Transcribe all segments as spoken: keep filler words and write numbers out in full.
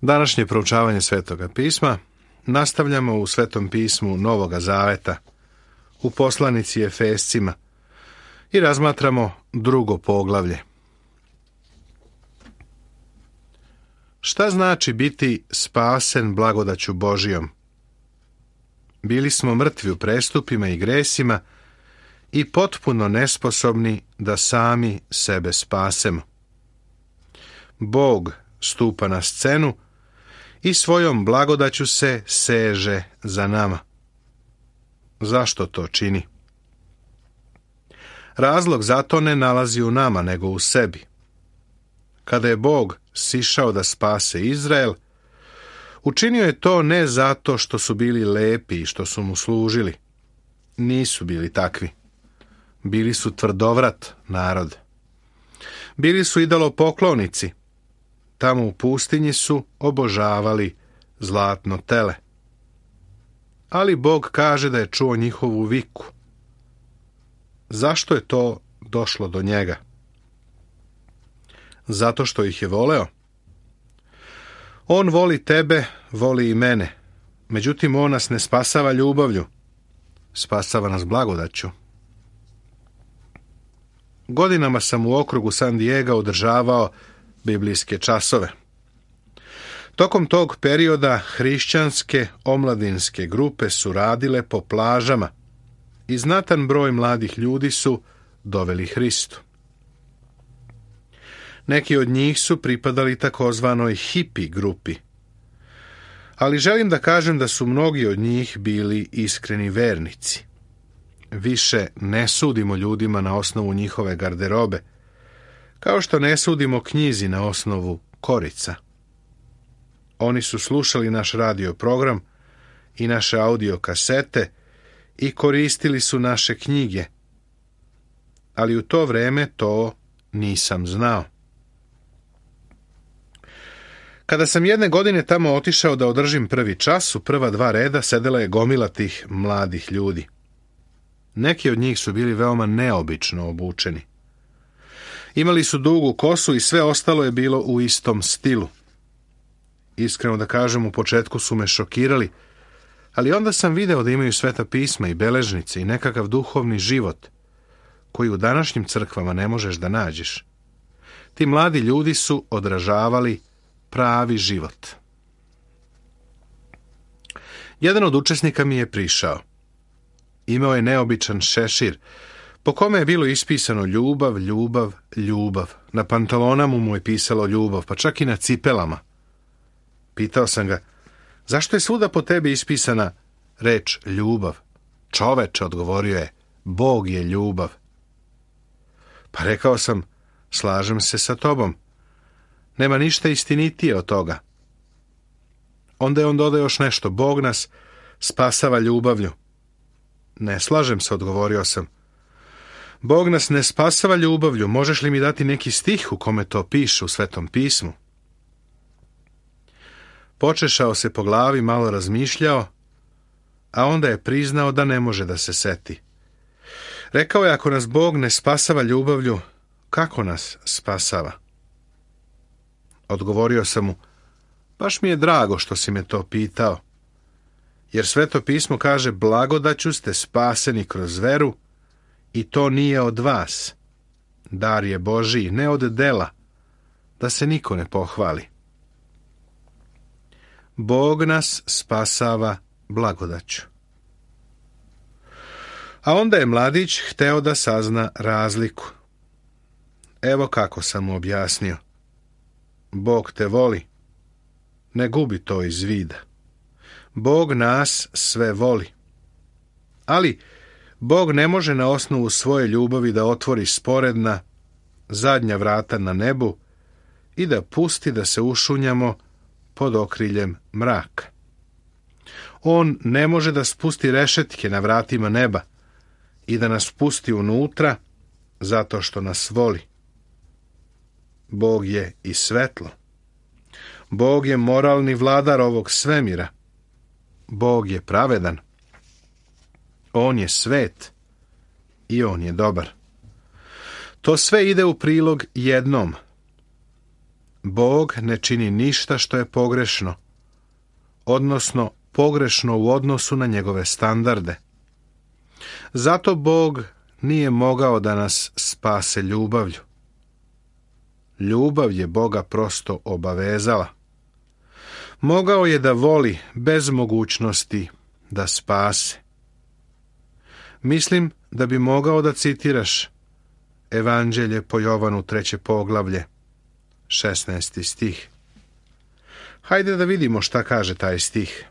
Današnje proučavanje Svetoga pisma nastavljamo u Svetom pismu Novoga Zaveta, u poslanici Efescima, i razmatramo drugo poglavlje. Šta znači biti spasen blagodaću Božijom? Bili smo mrtvi u prestupima i gresima i potpuno nesposobni da sami sebe spasemo. Bog stupa na scenu i svojom blagodaću se seže za nama. Zašto to čini? Razlog za to ne nalazi u nama, nego u sebi. Kada je Bog sišao da spase Izrael, učinio je to ne zato što su bili lepi i što su mu služili. Nisu bili takvi. Bili su tvrdovrat narod. Bili su idolopoklonici. Tamo u pustinji su obožavali zlatno tele. Ali Bog kaže da je čuo njihovu viku. Zašto je to došlo do njega? Zato što ih je voleo. On voli tebe, voli i mene. Međutim, on nas ne spasava ljubavlju. Spasava nas blagodaću. Godinama sam u okrugu San Diega održavao biblijske časove. Tokom tog perioda hrišćanske omladinske grupe su radile po plažama i znatan broj mladih ljudi su doveli Hristu. Neki od njih su pripadali takozvanoj hipi grupi, ali želim da kažem da su mnogi od njih bili iskreni vernici. Više ne sudimo ljudima na osnovu njihove garderobe, kao što ne sudimo knjizi na osnovu korica. Oni su slušali naš radio program i naše audio kasete i koristili su naše knjige, ali u to vreme to nisam znao. Kada sam jedne godine tamo otišao da održim prvi čas, u prva dva reda sedela je gomila tih mladih ljudi. Neki od njih su bili veoma neobično obučeni. Imali su dugu kosu i sve ostalo je bilo u istom stilu. Iskreno da kažem, u početku su me šokirali, ali onda sam video da imaju sveta pisma i beležnice i nekakav duhovni život, koji u današnjim crkvama ne možeš da nađeš. Ti mladi ljudi su odražavali pravi život. Jedan od učesnika mi je prišao. Imao je neobičan šešir, po kome je bilo ispisano ljubav, ljubav, ljubav. Na pantalonama mu je pisalo ljubav, pa čak i na cipelama. Pitao sam ga, zašto je svuda po tebi ispisana reč ljubav? Čoveče, odgovorio je, Bog je ljubav. Pa rekao sam, slažem se sa tobom. Nema ništa istinitije od toga. Onda je on dodao još nešto, Bog nas spasava ljubavlju. Ne slažem se, odgovorio sam. Bog nas ne spasava ljubavlju, možeš li mi dati neki stih u kome to piše u Svetom pismu? Počešao se po glavi, malo razmišljao, a onda je priznao da ne može da se seti. Rekao je, ako nas Bog ne spasava ljubavlju, kako nas spasava? Odgovorio sam mu, baš mi je drago što si me to pitao, jer Sveto pismo kaže, blagodaću ste spaseni kroz veru i to nije od vas. Dar je Božiji, ne od dela, da se niko ne pohvali. Bog nas spasava blagodaću. A onda je mladić hteo da sazna razliku. Evo kako sam mu objasnio. Bog te voli. Ne gubi to iz vida. Bog nas sve voli. Ali Bog ne može na osnovu svoje ljubavi da otvori sporedna, zadnja vrata na nebu i da pusti da se ušunjamo pod okriljem mraka. On ne može da spusti rešetke na vratima neba i da nas pusti unutra zato što nas voli. Bog je i svetlo. Bog je moralni vladar ovog svemira. Bog je pravedan. On je svet i on je dobar. To sve ide u prilog jednom. Bog ne čini ništa što je pogrešno, odnosno pogrešno u odnosu na njegove standarde. Zato Bog nije mogao da nas spase ljubavlju. Ljubav je Boga prosto obavezala. Mogao je da voli bez mogućnosti da spase. Mislim da bi mogao da citiraš Evanđelje po Jovanu treće poglavlje, šesnaesti stih. Hajde da vidimo šta kaže taj stih.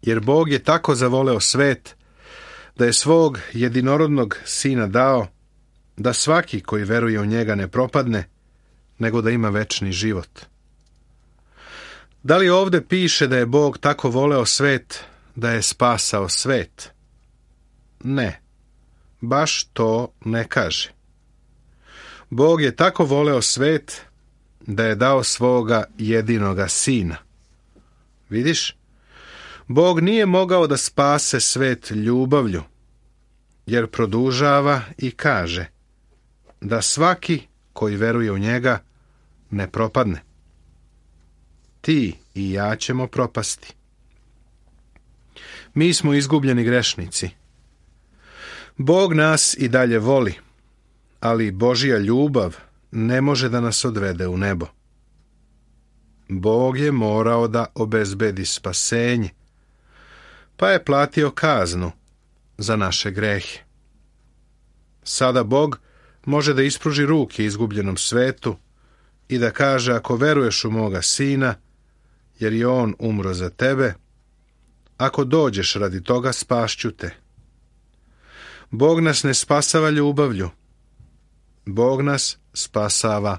Jer Bog je tako zavoleo svet, da je svog jedinorodnog sina dao, da svaki koji veruje u njega ne propadne, nego da ima večni život. Da li ovde piše da je Bog tako voleo svet, da je spasao svet? Ne, baš to ne kaže. Bog je tako voleo svet, da je dao svoga jedinoga sina. Vidiš? Bog nije mogao da spase svet ljubavlju, jer produžava i kaže da svaki koji veruje u njega ne propadne. Ti i ja ćemo propasti. Mi smo izgubljeni grešnici. Bog nas i dalje voli, ali Božja ljubav ne može da nas odvede u nebo. Bog je morao da obezbedi spasenje, pa je platio kaznu za naše grehe. Sada Bog može da ispruži ruke izgubljenom svetu i da kaže: ako veruješ u moga sina, jer je on umro za tebe, ako dođeš radi toga, spašću te. Bog nas ne spasava ljubavlju, Bog nas spasava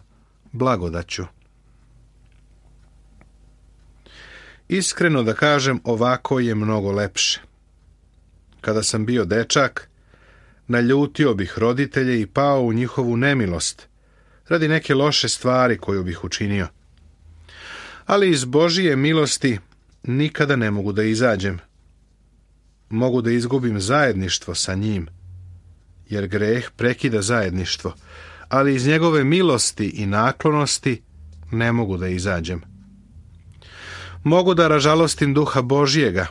blagodaću. Iskreno da kažem, ovako je mnogo lepše. Kada sam bio dečak, naljutio bih roditelje i pao u njihovu nemilost radi neke loše stvari koju bih učinio. Ali iz Božije milosti nikada ne mogu da izađem. Mogu da izgubim zajedništvo sa njim, jer greh prekida zajedništvo, ali iz njegove milosti i naklonosti ne mogu da izađem. Mogu da ražalostim duha Božjega,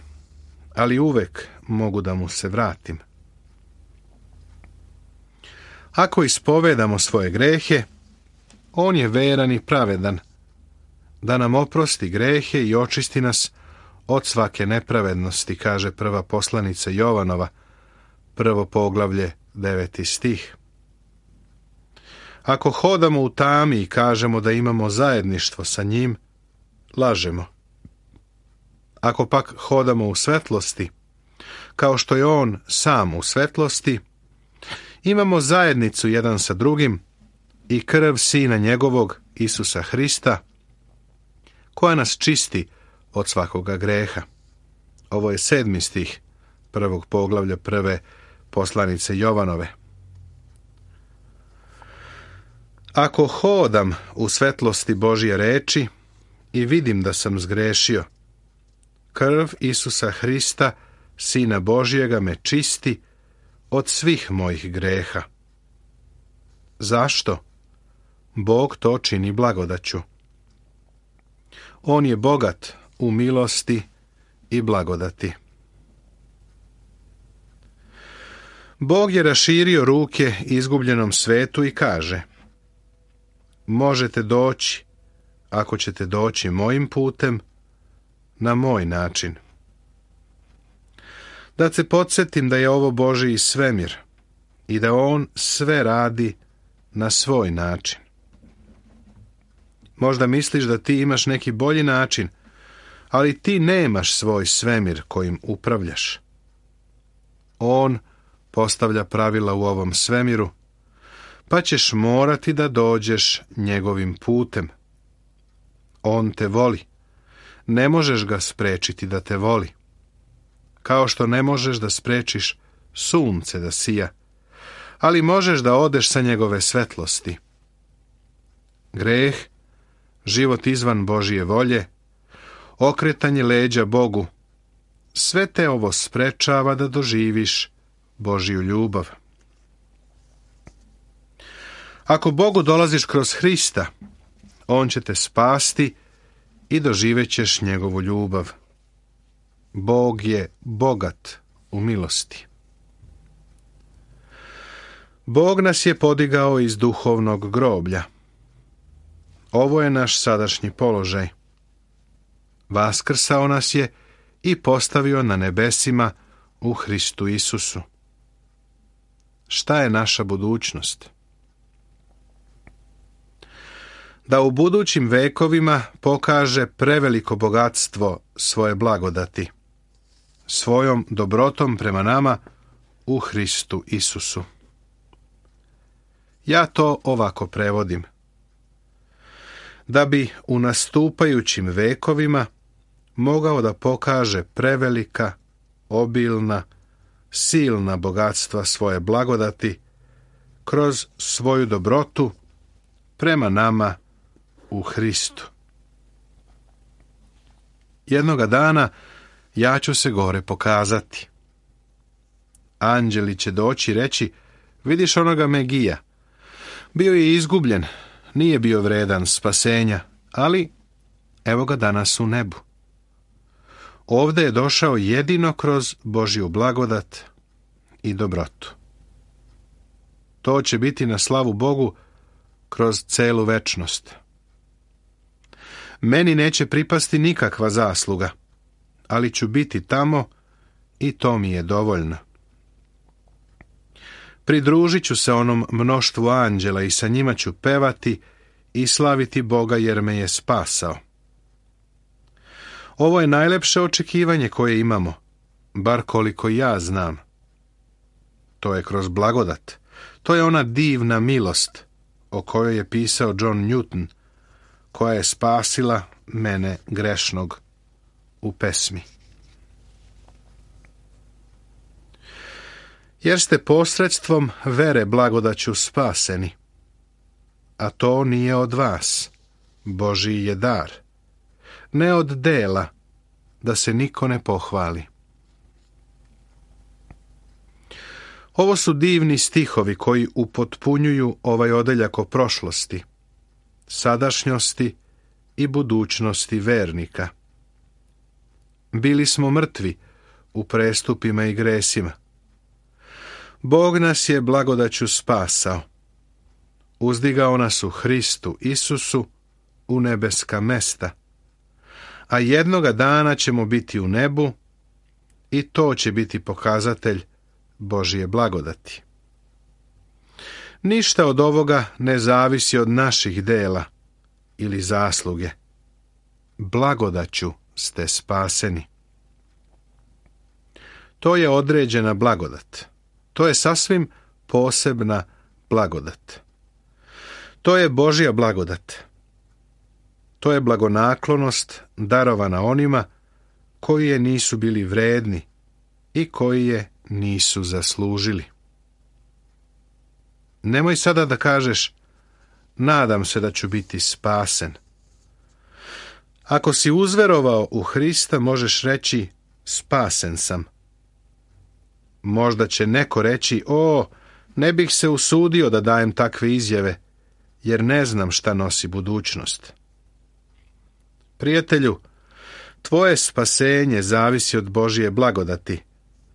ali uvek mogu da mu se vratim. Ako ispovedamo svoje grehe, on je veran i pravedan, da nam oprosti grehe i očisti nas od svake nepravednosti, kaže prva poslanica Jovanova, prvo poglavlje, deveti stih. Ako hodamo u tami i kažemo da imamo zajedništvo sa njim, lažemo. Ako pak hodamo u svetlosti, kao što je on sam u svetlosti, imamo zajednicu jedan sa drugim i krv Sina njegovog, Isusa Hrista, koja nas čisti od svakoga greha. Ovo je sedmi stih prvog poglavlja prve poslanice Jovanove. Ako hodam u svetlosti Božje reči i vidim da sam zgrešio, krv Isusa Hrista, Sina Božjega, me čisti od svih mojih greha. Zašto? Bog to čini blagodaću. On je bogat u milosti i blagodati. Bog je raširio ruke izgubljenom svetu i kaže: možete doći, ako ćete doći mojim putem, na moj način. Da se podsjetim da je ovo Božji svemir i da on sve radi na svoj način. Možda misliš da ti imaš neki bolji način, ali ti nemaš svoj svemir kojim upravljaš. On postavlja pravila u ovom svemiru, pa ćeš morati da dođeš njegovim putem. On te voli. Ne možeš ga sprečiti da te voli. Kao što ne možeš da sprečiš sunce da sija, ali možeš da odeš sa njegove svetlosti. Greh, život izvan Božje volje, okretanje leđa Bogu, sve te ovo sprečava da doživiš Božju ljubav. Ako Bogu dolaziš kroz Hrista, On će te spasti i doživjet ćeš njegovu ljubav. Bog je bogat u milosti. Bog nas je podigao iz duhovnog groblja. Ovo je naš sadašnji položaj. Vaskrsao nas je i postavio na nebesima u Hristu Isusu. Šta je naša budućnost? Da u budućim vekovima pokaže preveliko bogatstvo svoje blagodati, svojom dobrotom prema nama u Hristu Isusu. Ja to ovako prevodim. Da bi u nastupajućim vekovima mogao da pokaže prevelika, obilna, silna bogatstva svoje blagodati kroz svoju dobrotu prema nama u Hristu. Jednoga dana ja ću se gore pokazati. Anđeli će doći i reći, vidiš onoga Megija, bio je izgubljen, nije bio vredan spasenja, ali evo ga danas u nebu. Ovde je došao jedino kroz Božju blagodat i dobrotu. To će biti na slavu Bogu kroz celu večnost. Meni neće pripasti nikakva zasluga, ali ću biti tamo i to mi je dovoljno. Pridružit ću se onom mnoštvu anđela i sa njima ću pevati i slaviti Boga jer me je spasao. Ovo je najlepše očekivanje koje imamo, bar koliko ja znam. To je kroz blagodat. To je ona divna milost o kojoj je pisao John Newton, koja je spasila mene grešnog u pesmi. Jer ste posredstvom vere blagodaću spaseni, a to nije od vas, Božji je dar, ne od dela, da se niko ne pohvali. Ovo su divni stihovi koji upotpunjuju ovaj odeljak o prošlosti, sadašnjosti i budućnosti vernika. Bili smo mrtvi u prestupima i gresima. Bog nas je blagodaću spasao. Uzdigao nas u Hristu Isusu u nebeska mesta. A jednoga dana ćemo biti u nebu i to će biti pokazatelj Božje blagodati. Ništa od ovoga ne zavisi od naših dela ili zasluge. Blagodaću ste spaseni. To je određena blagodat. To je sasvim posebna blagodat. To je Božja blagodat. To je blagonaklonost darovana onima koji je nisu bili vredni i koji je nisu zaslužili. Nemoj sada da kažeš, nadam se da ću biti spasen. Ako si uzverovao u Hrista, možeš reći, spasen sam. Možda će neko reći, o, ne bih se usudio da dajem takve izjave, jer ne znam šta nosi budućnost. Prijatelju, tvoje spasenje zavisi od Božje blagodati,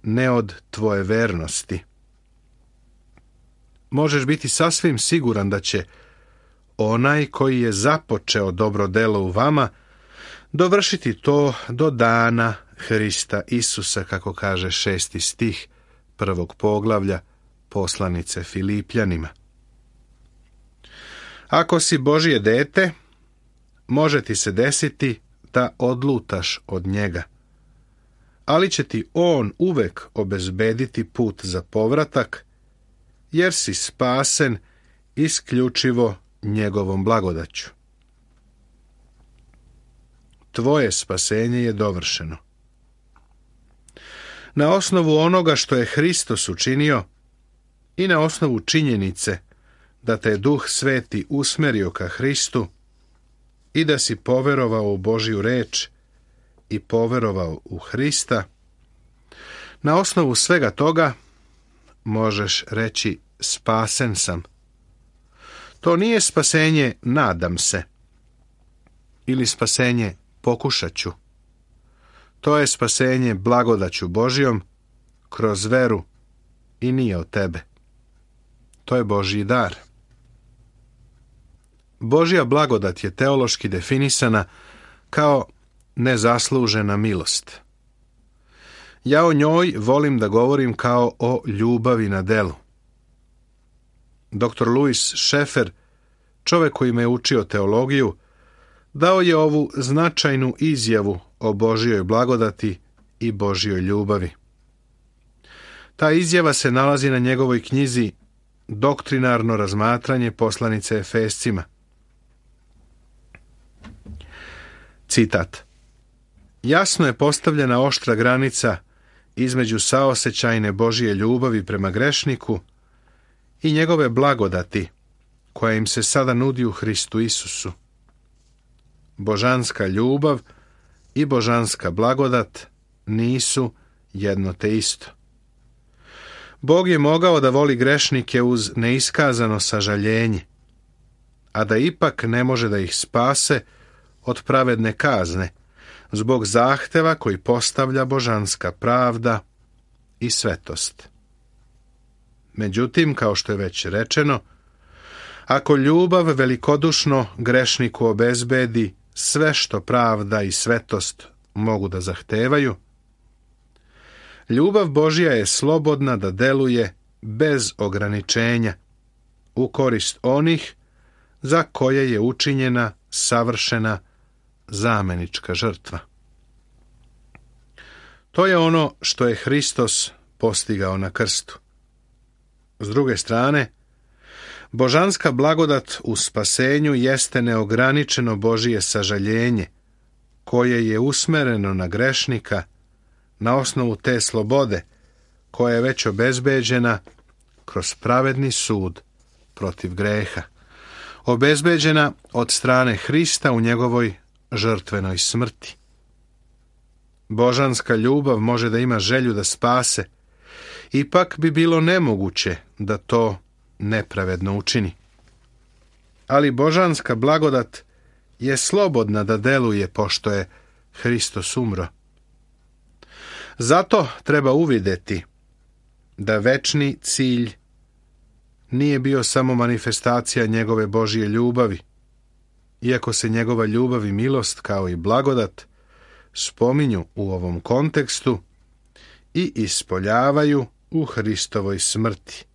ne od tvoje vernosti. Možeš biti sasvim siguran da će onaj koji je započeo dobro delo u vama dovršiti to do dana Hrista Isusa, kako kaže šesti stih prvog poglavlja poslanice Filipljanima. Ako si Božje dete, može ti se desiti da odlutaš od njega, ali će ti on uvek obezbediti put za povratak, jer si spasen isključivo njegovom blagodaću. Tvoje spasenje je dovršeno. Na osnovu onoga što je Hristos učinio i na osnovu činjenice da te je Duh Sveti usmerio ka Hristu i da si poverovao u Božju reč i poverovao u Hrista, na osnovu svega toga možeš reći spasen sam. To nije spasenje nadam se, ili spasenje pokušat ću. To je spasenje blagodaću Božjom kroz veru i nije od tebe. To je Božji dar. Božja blagodat je teološki definisana kao nezaslužena milost. Ja o njoj volim da govorim kao o ljubavi na delu. doktor Louis Schaeffer, čovjek koji me je učio teologiju, dao je ovu značajnu izjavu o Božjoj blagodati i Božjoj ljubavi. Ta izjava se nalazi na njegovoj knjizi Doktrinarno razmatranje poslanice Efescima. Citat: Jasno je postavljena oštra granica između saosećajne Božje ljubavi prema grešniku i njegove blagodati koja im se sada nudi u Hristu Isusu. Božanska ljubav i božanska blagodat nisu jedno te isto. Bog je mogao da voli grešnike uz neiskazano sažaljenje, a da ipak ne može da ih spase od pravedne kazne, zbog zahteva koji postavlja božanska pravda i svetost. Međutim, kao što je već rečeno, ako ljubav velikodušno grešniku obezbedi sve što pravda i svetost mogu da zahtevaju, ljubav Božja je slobodna da deluje bez ograničenja u korist onih za koje je učinjena savršena zamenička žrtva. To je ono što je Hristos postigao na krstu. S druge strane, božanska blagodat u spasenju jeste neograničeno Božje sažaljenje, koje je usmereno na grešnika na osnovu te slobode, koja je već obezbeđena kroz pravedni sud protiv greha, obezbeđena od strane Hrista u njegovoj žrtvenoj smrti. Božanska ljubav može da ima želju da spase, ipak bi bilo nemoguće da to nepravedno učini. Ali božanska blagodat je slobodna da deluje pošto je Hristos umro. Zato treba uvideti da večni cilj nije bio samo manifestacija njegove Božje ljubavi, iako se njegova ljubav i milost kao i blagodat spominju u ovom kontekstu i ispoljavaju u Hristovoj smrti.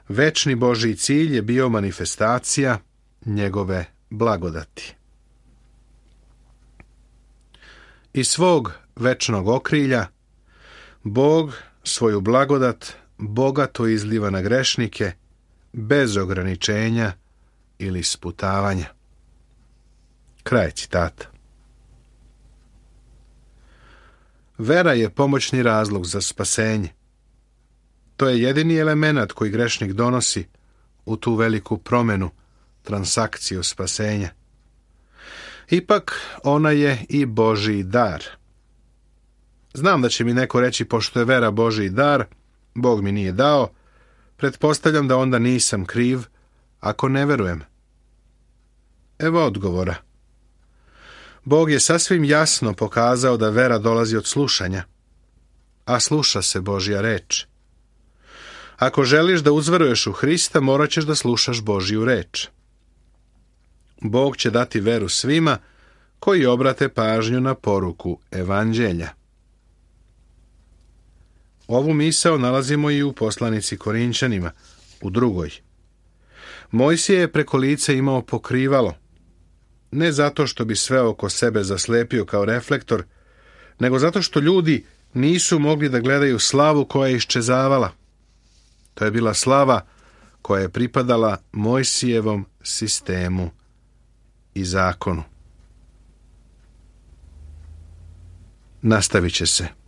Večni Božji cilj je bio manifestacija njegove blagodati. Iz svog večnog okrilja Bog svoju blagodat bogato izliva na grešnike bez ograničenja ili sputavanja. Kraj citata. Vera je pomoćni razlog za spasenje. To je jedini element koji grešnik donosi u tu veliku promenu, transakciju spasenja. Ipak ona je i Božji dar. Znam da će mi neko reći, pošto je vera Božji dar, Bog mi nije dao, pretpostavljam da onda nisam kriv ako ne verujem. Evo odgovora. Bog je sasvim jasno pokazao da vera dolazi od slušanja, a sluša se Božja reč. Ako želiš da uzveruješ u Hrista, morat ćeš da slušaš Božju reč. Bog će dati veru svima koji obrate pažnju na poruku Evanđelja. Ovu misao nalazimo i u poslanici Korinćanima, u drugoj. Mojsije je preko lica imao pokrivalo, ne zato što bi sve oko sebe zaslepio kao reflektor, nego zato što ljudi nisu mogli da gledaju slavu koja je iščezavala. To je bila slava koja je pripadala Mojsijevom sistemu i zakonu. Nastavit će se.